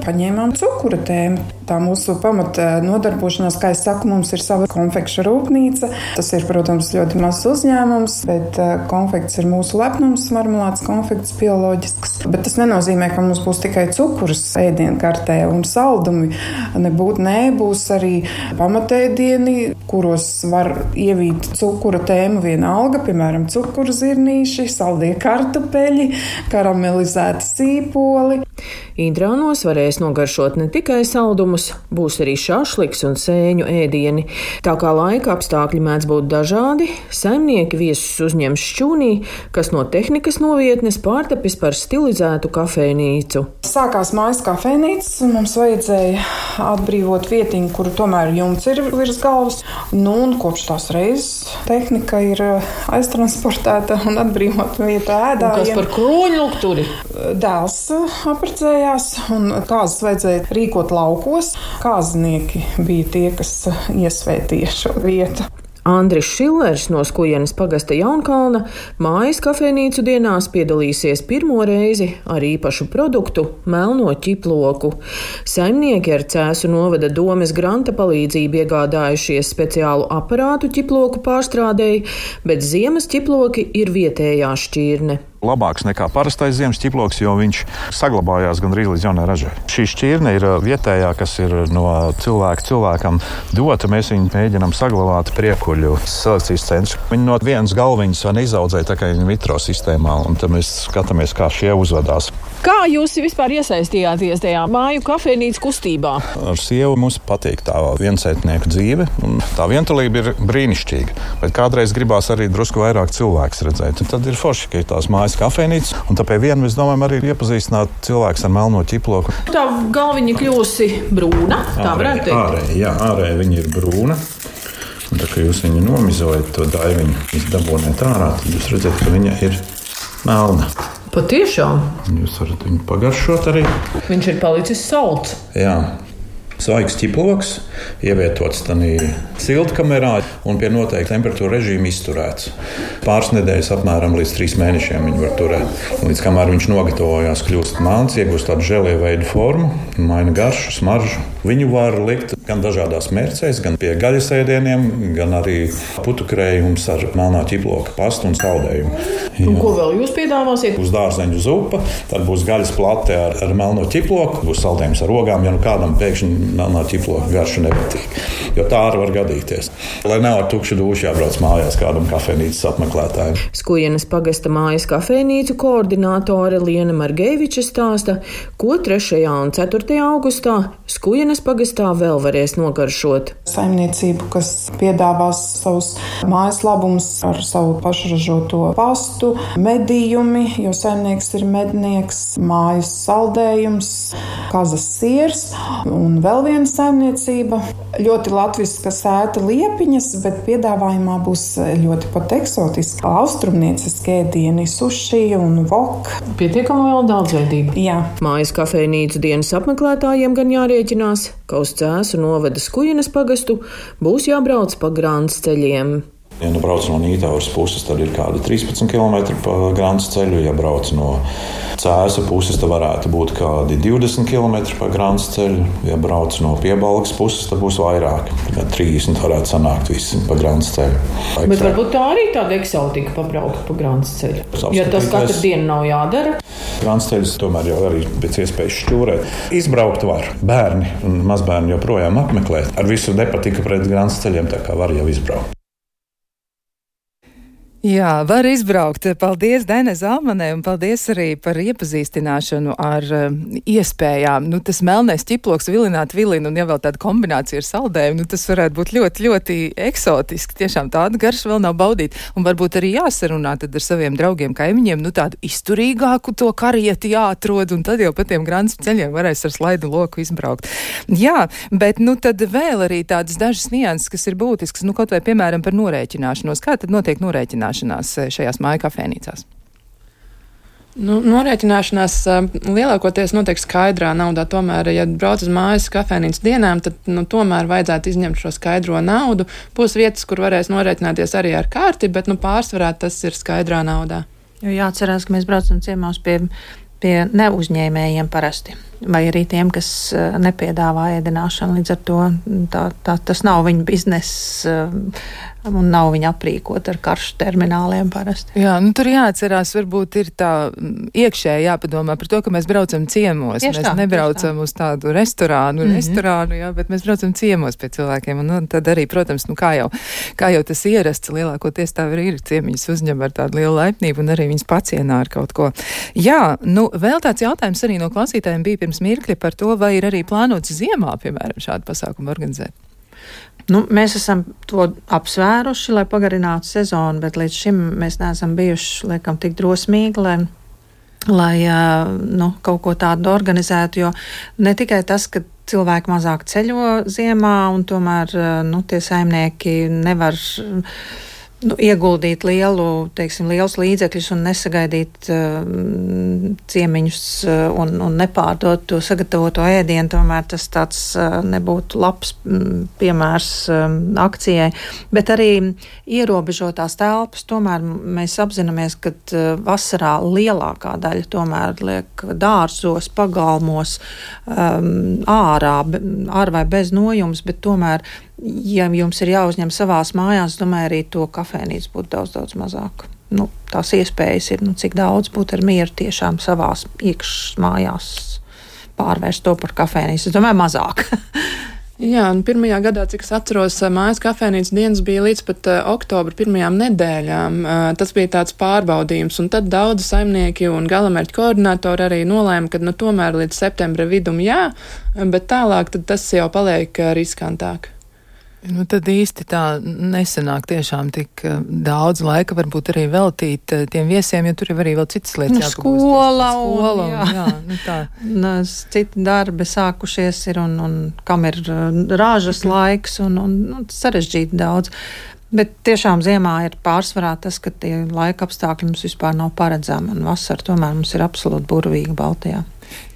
paņēmām cukura tēmu. Tā mūsu pamata nodarbošanās, kā es saku, mums ir sava konfekšu rūpnīca. Tas ir, protams, ļoti mazs uzņēmums, bet konfekts ir mūsu lepnums, marmelādes konfekts bioloģisks. Bet tas nenozīmē, ka mums būs tikai cukurs ēdienkartē un saldumi. Būs arī pamatēdieni, kuros var ievīt cukura tēmu vienalga, piemēram, cukuru zirnīši, saldie kartupeļi, karamelizēti sīpoli. Indrānos varēs nogaršot ne tikai saldumus, būs arī šašliks un sēņu ēdieni. Tā kā laika apstākļi mēdz būt dažādi, saimnieki viesus uzņems šķūnī, kas no tehnikas novietnes pārtapis par stilizētu kafejnīcu. Sākās mājas kafejnīcas, un mums vajadzēja atbrīvot vietiņu, kuru tomēr jumts ir virs galvas. Un kopš tās reizes tehnika ir aiztransportēta un atbrīvota vieta ēdājiem. Kas par kroņlukturi? Dēls apprecējās, un kāzas vajadzēja rīkot laukos. Kāznieki bija tie, kas iesvētīja šo vietu. Andris Šillers no Kujenes pagasta Jaunkalna mājas kafejnīcu dienās piedalīsies 1. reizi ar īpašu produktu – melno ķiploku. Saimnieki ar Cēsu novada domes granta palīdzību iegādājušies speciālu aparātu ķiploku pārstrādēji, bet ziemas ķiploki ir vietējā šķirne. labāks nekā parastais ziemas ķiploks, jo viņš saglabājās gandrīz līdz jaunai ražai. Šī šķirne ir vietējā, kas ir no cilvēkam dota. Mēs viņu mēģinām saglabāt priekuļu selekcijas centrā. Viņi no vienas galviņas neizaudzēja tā kā in vitro sistēmā, un tad mēs skatāmies, kā šie uzvedās. Kā jūs vispār iesaistījāties tajā māju kafejnīcas kustībā? Ar sievu mums patīk tā viensētnieku dzīve, un tā vientulība ir brīnišķīga. Bet kādreiz gribās arī drusku vairāk cilvēks redzēt. Un tad ir forši, ka ir tās mājas kafejnīcas, un tāpēc vien mēs domājam arī iepazīstināt cilvēks ar melno ķiploku. Tā galviņa kļūsi brūna, tā varētu teikt? Ārēji viņa ir brūna. Un tā kā jūs viņu nomizojat, to daiviņu dabūnēt ārā, tad jūs redzat, ka viņa ir melna. Patiešām? Jūs varat viņu pagaršot arī. Viņš ir palicis salds. Jā. Svaigs ķiploks, ievietots tādā siltkamerā un pie noteikta temperatūra režīma izturēts. Pāris nedēļas apmēram līdz 3 mēnešiem viņu var turēt. Līdz kamēr viņš nogatavojās, kļūst melns, iegūst tādu žēlē veidu formu, maina garšu, smaržu. Viņu var likt gan dažādās mērcēs, gan pie gaļas ēdieniem, gan arī putukrējums ar melnā ķiploka pastu un saldējumu. Un ko vēl jūs piedāvāsiet? Būs dārzeņu zupa, tad būs gaļas plate ar melno ķiploku, būs saldējums ar ogām, ja nu kādam pēkšņi melnā ķiploka garša nepatīk, jo tā arī var gadīties. Lai nav ar tukšu dūšu jābrauc mājās kādam kafejnīcas apmeklētājiem. Skujenes pagasta mājas kafejnīcu koordinātore Liena Margeviča stāsta, ko 3. un 4. augustā Skujenes pagastā vēl varēs nogaršot. Saimniecību, kas piedāvās savus mājas labumus ar savu pašražoto pastu, medījumi, jo saimnieks ir mednieks, mājas saldējums, kazas siers un vēl viena saimniecība. Ļoti latviska sēta liepiņas, bet piedāvājumā būs ļoti pat eksotiski austrumnieciski ēdieni, suši un wok. Pietiekami vēl daudzveidība. Jā. Mājas kafejnīcu dienas apmeklētājiem gan jārēķinās, ka uz Cēsu novada Skujenes pagastu būs jābrauc pa grāns ceļiem. Ja nu brauc no Nītavas puses, tad ir kādi 13 km pa grāns ceļu. Ja brauc no Cēsu puses, tad varētu būt kādi 20 km pa grāns ceļu. Ja brauc no Piebalgas puses, tad būs vairāk. 30 varētu sanākt visi pa grāns ceļu. Bet varbūt tā arī tāda eksotika pabraukt pa grāns ceļu. Ja tas katru dienu nav jādara. Grāns ceļus tomēr jau arī pēc iespējas šķūrēt. Izbraukt var. Bērni un mazbērni joprojām apmeklē. Ar visu nepatika pret grāns ceļiem, tā kā var jau izbraukt. Jā, var izbraukt. Paldies Dainai Zalmanai un paldies arī par iepazīstināšanu ar iespējām. Nu, tas melnais ķiploks vilināt vilinu un ja vēl tāda kombinācija ar saldējumu, nu, tas varētu būt ļoti, ļoti eksotiski. Tiešām tāda garša vēl nav baudīta. Un varbūt arī jāsarunā tad ar saviem draugiem, kaimiņiem, nu tādu izturīgāku to karieti jāatrod un tad jau pa tiem grāns ceļiem varēs ar slaidu loku izbraukt. Jā, bet nu tad vēl arī tādas dažas nianses, kas ir būtiskas, nu kaut vai piemēram par norēķināšanos. Kā tad notiek norēķināšanās šajās māju kafejnīcās? Nu, norēķināšanās lielākoties notiek skaidrā naudā. Tomēr, ja brauc uz mājas kafejnīcas dienām, tad tomēr vajadzētu izņemt šo skaidro naudu. Būs vietas, kur varēs norēķināties arī ar karti, bet pārsvarā tas ir skaidrā naudā. Jo jāatcerās, ka mēs braucam ciemos pie neuzņēmējiem parasti, vai arī tiem, kas nepiedāvā ēdināšanu. Līdz ar to tas nav viņa bizness un nav viņa aprīkot ar karšu termināliem parasti. Jā, nu tur jāatcerās, varbūt ir tā iekšēji jāpadomā par to, ka mēs braucam ciemos. Tieši mēs nebraucam uz tādu restorānu, jā, bet mēs braucam ciemos pie cilvēkiem. Un tad arī, protams, kā jau tas ierasts, lielākoties tā arī ir ciemiņas uzņem ar tādu lielu laipnību un arī viņas pacienā ar kaut ko. Jā, nu vēl tāds jautājums arī no klausītājiem bija pirms mirkļa par to, vai ir arī plānots ziemā, piemēram, šādu pasākumu organizēt. Mēs esam to apsvēruši, lai pagarinātu sezonu, bet līdz šim mēs neesam bijuši, laikam, tik drosmīgi, lai kaut ko tādu organizētu, jo ne tikai tas, ka cilvēki mazāk ceļo ziemā un tomēr tie saimnieki nevar ieguldīt lielus līdzekļus un nesagaidīt ciemiņus un nepārdot to sagatavoto ēdienu, tomēr tas tāds nebūtu labs piemērs akcijai. Bet arī ierobežotās telpas, tomēr mēs apzināmies, ka vasarā lielākā daļa tomēr liek dārzos, pagalmos, ārā, ar vai bez nojums, bet tomēr ja jums ir jāuzņem savās mājās, domāju, arī to kafejnīcu būtu daudz mazāk. tās iespējas ir, cik daudz būt ar mieru tiešām savās iekšmājās pārvērst to par kafēnīcu. Es domāju, mazāk. Jā, un pirmajā gadā, cik es atceros, mājas kafēnīcas dienas bija līdz pat oktobra pirmajām nedēļām. Tas bija tāds pārbaudījums, un tad daudzi saimnieki un galamērķu koordinatori arī nolēma, ka tomēr līdz septembra vidum jā, bet tālāk tad tas jau paliek riskantāk. Tad īsti tā nesanāk tiešām tik daudz laika varbūt arī veltīt tiem viesiem, jo tur ir arī vēl citas lietas jāpagūst. Skola, jā, tā. Citi darbi sākušies ir un kam ir rāžas laiks un sarežģīti daudz. Bet tiešām ziemā ir pārsvarā tas, ka tie laika apstākļi mums vispār nav paredzami, un vasara tomēr mums ir absolūti burvīga Baltijā.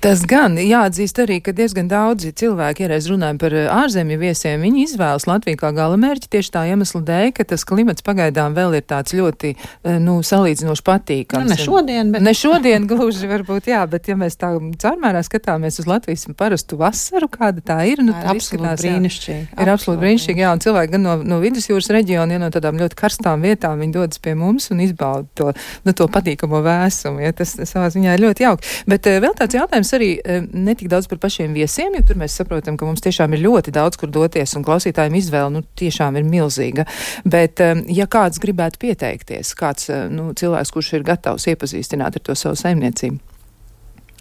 Tas gan jāatzīst arī, ka diezgan daudzi cilvēki, ja reiz runājam par ārzemju viesiem, viņi izvēlas Latviju kā galamērķi tieši tā iemesla dēļ, ka tas klimats pagaidām vēl ir tāds ļoti, salīdzinoši patīkams. Ne šodien, bet... Ne šodien gluži varbūt, jā, bet ja mēs tā caurmērā skatāmies uz Latvijas parastu vasaru, kāda tā ir, tā ir absolūti brīnišķīgi. Ir absolūti brīnišķīgi, jā, un cilvēki gan no vidusjūras reģiona, ja no tādām ļoti karstām vietām, viņi dodas pie mums un izbauda to patīkamo vēsumu, ja tas savā ziņā ir ļoti jauki. Bet vēl tāds jautājums arī ne tik daudz par pašiem viesiem, jo tur mēs saprotam, ka mums tiešām ir ļoti daudz, kur doties, un klausītājiem izvēle, tiešām ir milzīga. Bet, ja kāds gribētu pieteikties, kāds, cilvēks, kurš ir gatavs iepazīstināt ar to savu saimniecību?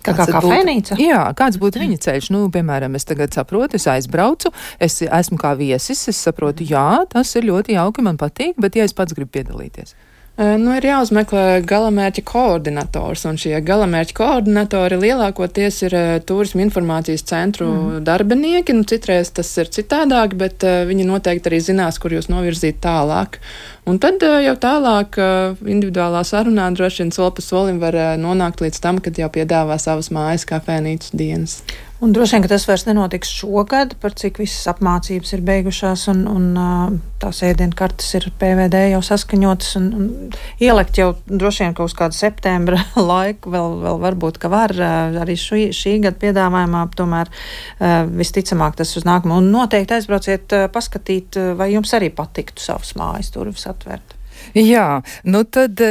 Kā kafēnīca? Jā, kāds būtu viņa ceļš? Piemēram, es tagad saprotu, es aizbraucu, es esmu kā viesis, es saprotu, jā, tas ir ļoti jauki, man patīk, bet ja es pats gribu piedalīties? Ir jāuzmeklē galamērķa koordinators, un šie galamērķa koordinatori lielākoties ir turisma informācijas centru darbinieki. Citreiz tas ir citādāk, bet viņi noteikti arī zinās, kur jūs novirzīt tālāk. Un tad jau tālāk individuālā sarunā droši vien soli pa solim var nonākt līdz tam, kad jau piedāvā savas mājas kafēnīcas dienas. Un droši vien, ka tas vairs nenotiks šogad, par cik visas apmācības ir beigušās un tās ēdienkartes ir PVD jau saskaņotas un ielikt jau droši vien, ka uz kādu septembra laiku vēl varbūt, ka var arī šī gada piedāvājumā, tomēr visticamāk tas uz nākamo. Un noteikti aizbrauciet paskatīt, vai jums arī patiktu savas mājas durvis atvērt. Jā, tad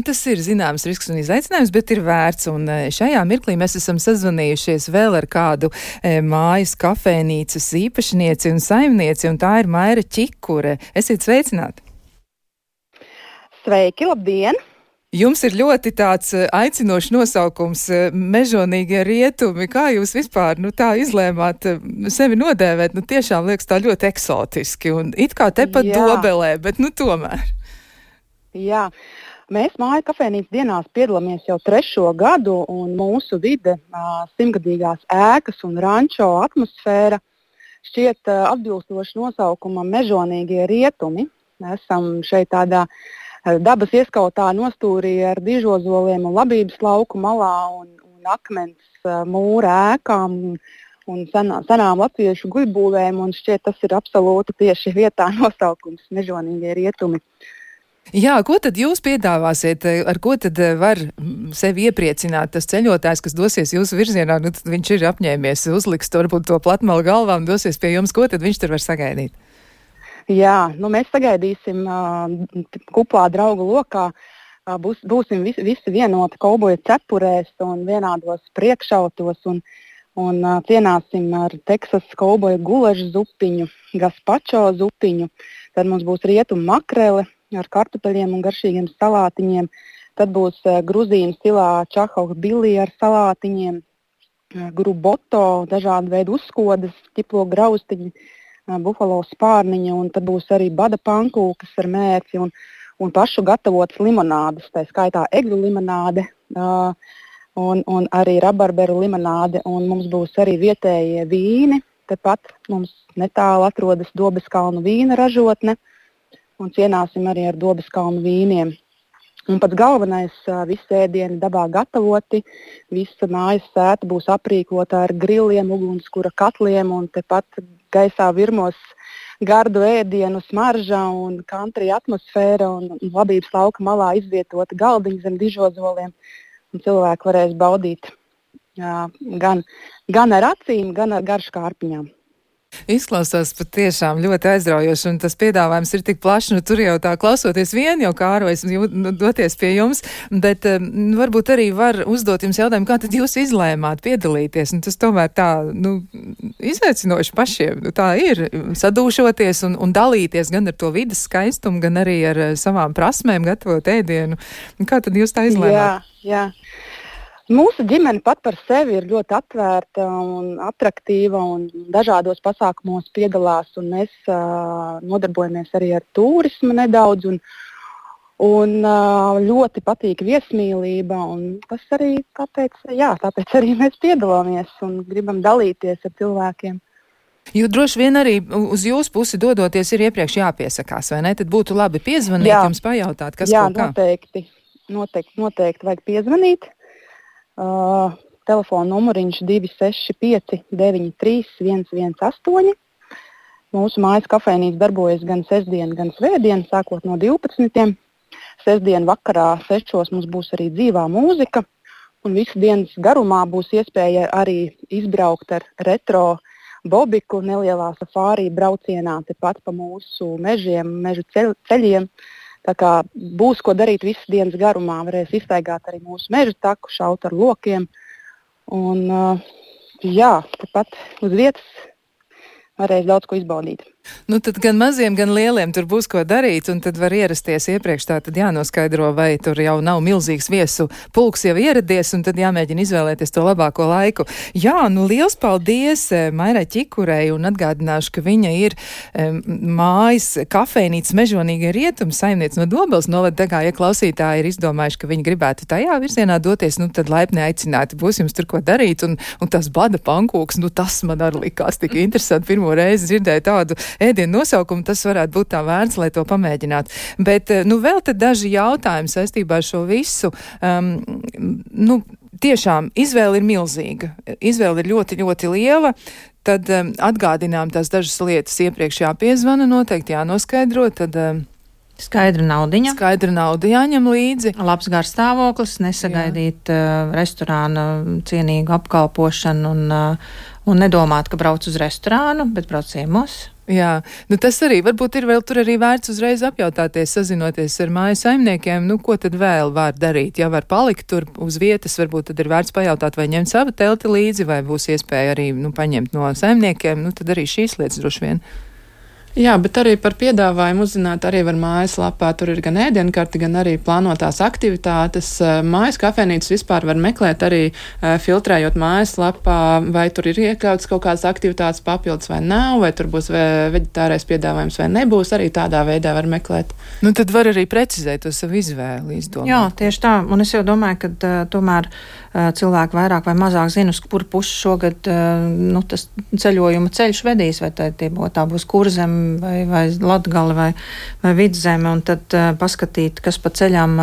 tas ir zināms risks un izaicinājums, bet ir vērts, un šajā mirklī mēs esam sazvanījušies vēl ar kādu mājas kafēnīcas īpašnieci un saimnieci, un tā ir Maira Čikure. Esiet sveicināti! Sveiki, labdien! Jums ir ļoti tāds aicinošs nosaukums Mežonīgie rietumi. Kā jūs vispār tā izlēmāt sevi nodēvēt? Tiešām liekas tā ļoti eksotiski, un it kā tepat Dobelē, bet tomēr. Jā, mēs māju kafēnīcas dienās piedalāmies jau 3. gadu, un mūsu vide, 100-gadīgās ēkas un rančo atmosfēra šķiet atbilstoši nosaukumam Mežonīgie rietumi. Mēs esam šeit tādā dabas ieskautā nostūrī ar dižozoliem un labības lauku malā un akmens mūra ēkām un senām latviešu guļbūvēm, un šķiet tas ir absolūti tieši vietā nosaukums Mežonīgie rietumi. Jā, ko tad jūs piedāvāsiet, ar ko tad var sevi iepriecināt tas ceļotājs, kas dosies jūsu virzienā, tad viņš ir apņēmies, uzliks varbūt to platmalu galvā un dosies pie jums, ko tad viņš tur var sagaidīt? Jā, mēs sagaidīsim kuplā draugu lokā, būsim visi vienoti kauboja cepurēs un vienādos priekšautos un cienāsim ar Teksas kauboja gulažu zupiņu, gazpačo zupiņu, tad mums būs rietumu makrele ar kartupeļiem un garšīgiem salātiņiem. Tad būs gruzīnu stilā čahovka bilī ar salātiņiem, gruboto, dažādu veidu uzskodas, ķiplo graustiņi, bufalo spārniņa, un tad būs arī bada pankūkas ar mērci un pašu gatavotas limonādes, tā skaitā egļu limonāde un arī rabarberu limonāde, un mums būs arī vietējie vīni. Tāpat mums netālu atrodas Dobeskalnu vīna ražotne, un cienāsim arī ar Dobeskalnu vīniem. Un pats galvenais, visi ēdieni dabā gatavoti, visa mājas sēta būs aprīkota ar griliem, ugunskura katliem, un tepat gaisā virmos gardu ēdienu smarža un country atmosfēra, un labības lauka malā izvietota galdiņa zem dižozoliem, un cilvēki varēs baudīt gan ar acīm, gan ar garšu kārpiņām. Izklausās patiešām ļoti aizraujoši, un tas piedāvājums ir tik plašs, tur jau tā klausoties vien, jau Kārlis doties pie jums, bet varbūt arī var uzdot jums jautājumu, kā tad jūs izlēmāt piedalīties, un tas tomēr tā, izaicinoši pašiem, tā ir, sadūšoties un dalīties gan ar to vidas skaistumu, gan arī ar savām prasmēm gatavot ēdienu. Kā tad jūs tā izlēmāt? Jā. Mūsu ģimene pat par sevi ir ļoti atvērta un atraktīva un dažādos pasākumos piedalās, un mēs nodarbojamies arī ar turismu nedaudz, un ļoti patīk viesmīlība, un tas arī tāpēc arī mēs piedalāmies un gribam dalīties ar cilvēkiem. Jo droši vien arī uz jūsu pusi dodoties ir iepriekš jāpiesakās, vai ne? Tad būtu labi piezvanīt, jums pajautāt, kas kaut kā. Noteikti vajag piezvanīt. Telefona numuriņš 265 93 118. Mūsu mājas kafejnīca darbojas gan sestdien, gan svētdien, sākot no 12. Sestdien vakarā 6. mums būs arī dzīvā mūzika, un visu dienas garumā būs iespēja arī izbraukt ar retro bobiku nelielā safārī braucienā tepat pa mūsu mežiem, mežu ceļiem. Tā kā būs ko darīt visas dienas garumā, varēs izstaigāt arī mūsu meža taku, šaut ar lokiem. Un tepat uz vietas varēs daudz ko izbaudīt. Tad gan maziem, gan lieliem tur būs ko darīt, un tad var ierasties iepriekš, tā tad jānoskaidro, vai tur jau nav milzīgs viesu pulks jau ieradies, un tad jāmēģina izvēlēties to labāko laiku. Jā, liels paldies Mairai Ķikurei, un atgādināšu, ka viņa ir mājas kafejnīcas Mežonīgie rietumi saimniece no Dobeles novada, tā kā, ja klausītāji ir izdomājuši, ka viņi gribētu tajā virzienā doties, tad laipni aicināti, būs jums tur ko darīt, un tas bada pankūks, tas man arī likās tik interesanti, pirmo reizi dzirdēju tādu ēdienu nosaukumu, tas varētu būt tā vērts, lai to pamēģinātu. Bet, vēl te daži jautājumi saistībā ar šo visu. Tiešām izvēle ir milzīga. Izvēle ir ļoti, ļoti liela. Tad atgādinām tās dažas lietas iepriekš jāpiezvana, noteikti jānoskaidro, tad... Skaidra nauda jāņem līdzi. Labs garstāvoklis, nesagaidīt restorāna cienīgu apkalpošanu un nedomāt, ka brauc uz restorānu, bet brauc ciemos. Jā, tas arī varbūt ir vēl tur arī vērts uzreiz apjautāties, sazinoties ar māju saimniekiem, ko tad vēl var darīt. Ja var palikt tur uz vietas, varbūt tad ir vērts pajautāt, vai ņemt savu telti līdzi, vai būs iespēja arī paņemt no saimniekiem, tad arī šīs lietas droši vien. Jā, bet arī par piedāvājumu uzzināt arī var mājaslapā. Tur ir gan ēdienkarti, gan arī plānotās aktivitātes. Mājas kafejnīcas vispār var meklēt arī filtrējot mājaslapā, vai tur ir iekļauts kaut kādas aktivitātes papildus vai nav, vai tur būs veģetārais piedāvājums vai nebūs. Arī tādā veidā var meklēt. Tad var arī precizēt to savu izvēli, izdomāt. Jā, tieši tā. Un es jau domāju, ka tomēr cilvēki vairāk vai mazāk zina, uz kuru pusi šogad tas ceļojuma ceļš vedīs, vai tā būs Kurzem, vai Latgale, vai Vidzeme, un tad paskatīt, kas pa ceļām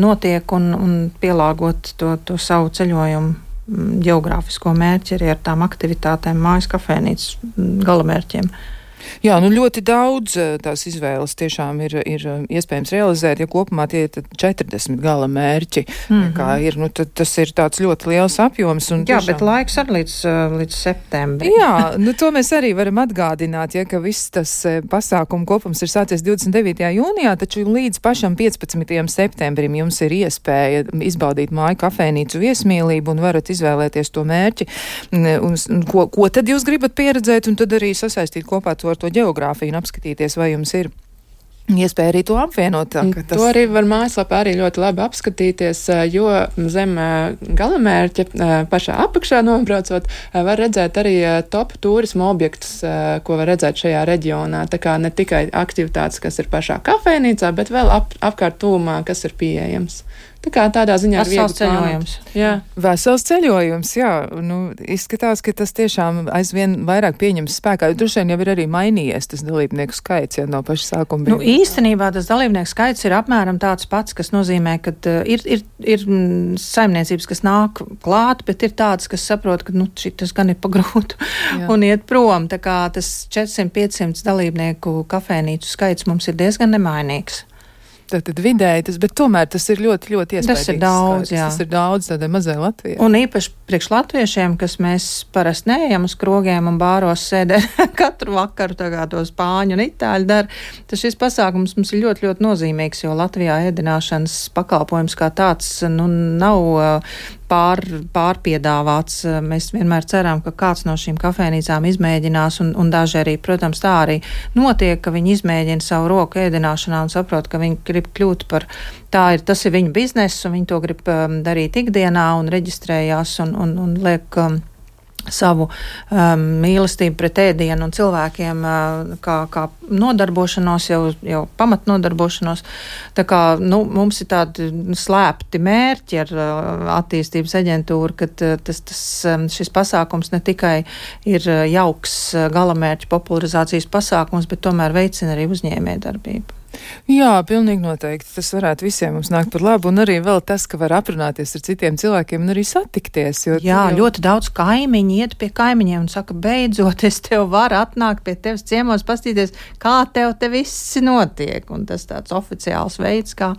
notiek, un pielāgot to savu ceļojumu geogrāfisko mērķi arī ar tām aktivitātēm mājas kafejnīcas galamērķiem. Jā, ļoti daudz tās izvēles tiešām ir iespējams realizēt, ja kopumā tie ir 40 gala mērķi, kā ir, tad tas ir tāds ļoti liels apjoms. Un jā, bet laiks arī līdz septembrim. Jā, to mēs arī varam atgādināt, ka viss tas pasākumu kopums ir sācies 29. jūnijā, taču līdz pašam 15. septembrim jums ir iespēja izbaudīt māju kafejnīcu viesmīlību un varat izvēlēties to mērķi, ko tad jūs gribat pieredzēt, un tad arī sasaistīt kopā to ar to geogrāfiju un apskatīties, vai jums ir iespēja arī to apvienot. To arī var mājaslapā arī ļoti labi apskatīties, jo zem galamērķa pašā apakšā nobraucot var redzēt arī top turismu objektus, ko var redzēt šajā reģionā. Tā kā ne tikai aktivitātes, kas ir pašā kafejnīcā, bet vēl apkārt tūmā, kas ir pieejams. Tā kā tādā ziņā ir viegli ceļojums. Jā. Vesels ceļojums, jā. Izskatās, ka tas tiešām aizvien vairāk pieņems spēkā. Droši vien jau ir arī mainījies tas dalībnieku skaits, ja no paša sākuma. Īstenībā tas dalībnieku skaits ir apmēram tāds pats, kas nozīmē, ka ir saimniecības, kas nāk klāt, bet ir tādas, kas saprot, ka šitas gan ir pagrūtu un iet prom. Tā kā tas 400-500 dalībnieku kafejnīcu skaits mums ir diezgan nemainīgs. Tad vidēji bet tomēr tas ir ļoti, ļoti iespējams. Tas ir daudz, jā. Tas ir daudz tādai mazai Latvijai. Un īpaši priekš latviešiem, kas mēs parasti neejam uz krogiem un bāros sēdē katru vakaru, tā kā to spāņu un itāļu dara, tad šis pasākums mums ir ļoti, ļoti nozīmīgs, jo Latvijā ēdināšanas pakalpojums kā tāds, nav pārpiedāvāts. Mēs vienmēr ceram, ka kāds no šīm kafejnīcām izmēģinās, un daži arī, protams, tā arī notiek, ka viņi izmēģina savu roku ēdināšanā un saprot, ka viņi grib kļūt par tas ir viņu bizness, un viņi to grib darīt ikdienā un reģistrējās un liek savu mīlestību pret ēdienu un cilvēkiem kā nodarbošanos, jau pamatnodarbošanos. Tā kā, mums ir tādi slēpti mērķi ar attīstības aģentūru, ka šis pasākums ne tikai ir jauks galamērķu popularizācijas pasākums, bet tomēr veicina arī uzņēmējdarbību. Jā, pilnīgi noteikti. Tas varētu visiem mums nākt par labu, un arī vēl tas, ka var aprunāties ar citiem cilvēkiem un arī satikties. Jā, ļoti daudz kaimiņi iet pie kaimiņiem un saka, beidzot, es tev varu atnākt pie tevis ciemos, pastīties, kā tev te viss notiek. Un tas tāds oficiāls veids, kā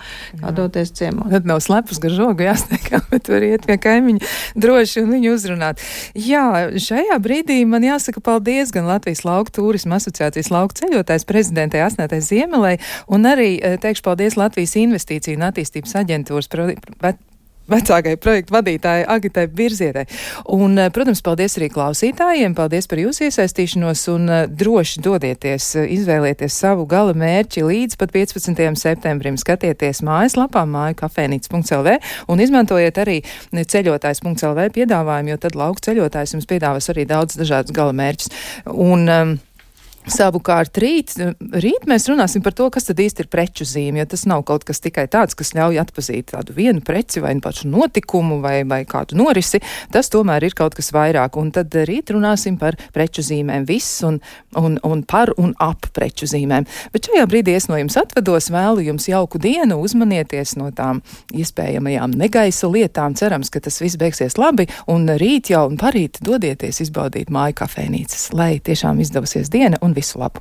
doties ciemos. Tad nav slepus gar žogu jāsteikā, bet var iet pie kaimiņa droši un viņu uzrunāt. Jā, šajā brīdī man jāsaka paldies gan Latvijas lauku turisma asociācijas lauku ceļotājs prezidentei Asnētai Ziemelei, un arī teikšu paldies Latvijas Investīciju un attīstības aģentūras vecākai projektu vadītāji Agitai Birzietai. Un, protams, paldies arī klausītājiem, paldies par jūsu iesaistīšanos un droši dodieties, izvēlieties savu gala mērķi līdz pat 15. septembrim. Skatieties mājaslapā mājkafejnīca.lv un izmantojiet arī ceļotājs.lv piedāvājumu, jo tad lauku ceļotājs jums piedāvās arī daudz dažādus gala mērķus. Un savukārt rīt mēs runāsim par to, kas tad īsti ir preču zīme, jo tas nav kaut kas tikai tāds, kas ļauj atpazīt tādu vienu preci vai pašu notikumu vai kādu norisi, tas tomēr ir kaut kas vairāk, un tad rīt runāsim par preču zīmēm viss un par un ap preču zīmēm. Bet šajā brīdī es no jums atvedos, vēlu jums jauku dienu, uzmanieties no tām iespējamajām negaisa lietām, cerams, ka tas viss beigsies labi, un rīt jau un parīt dodieties izbaudīt māju kafejnīcas, lai tiešām izdevusies diena un visu labu!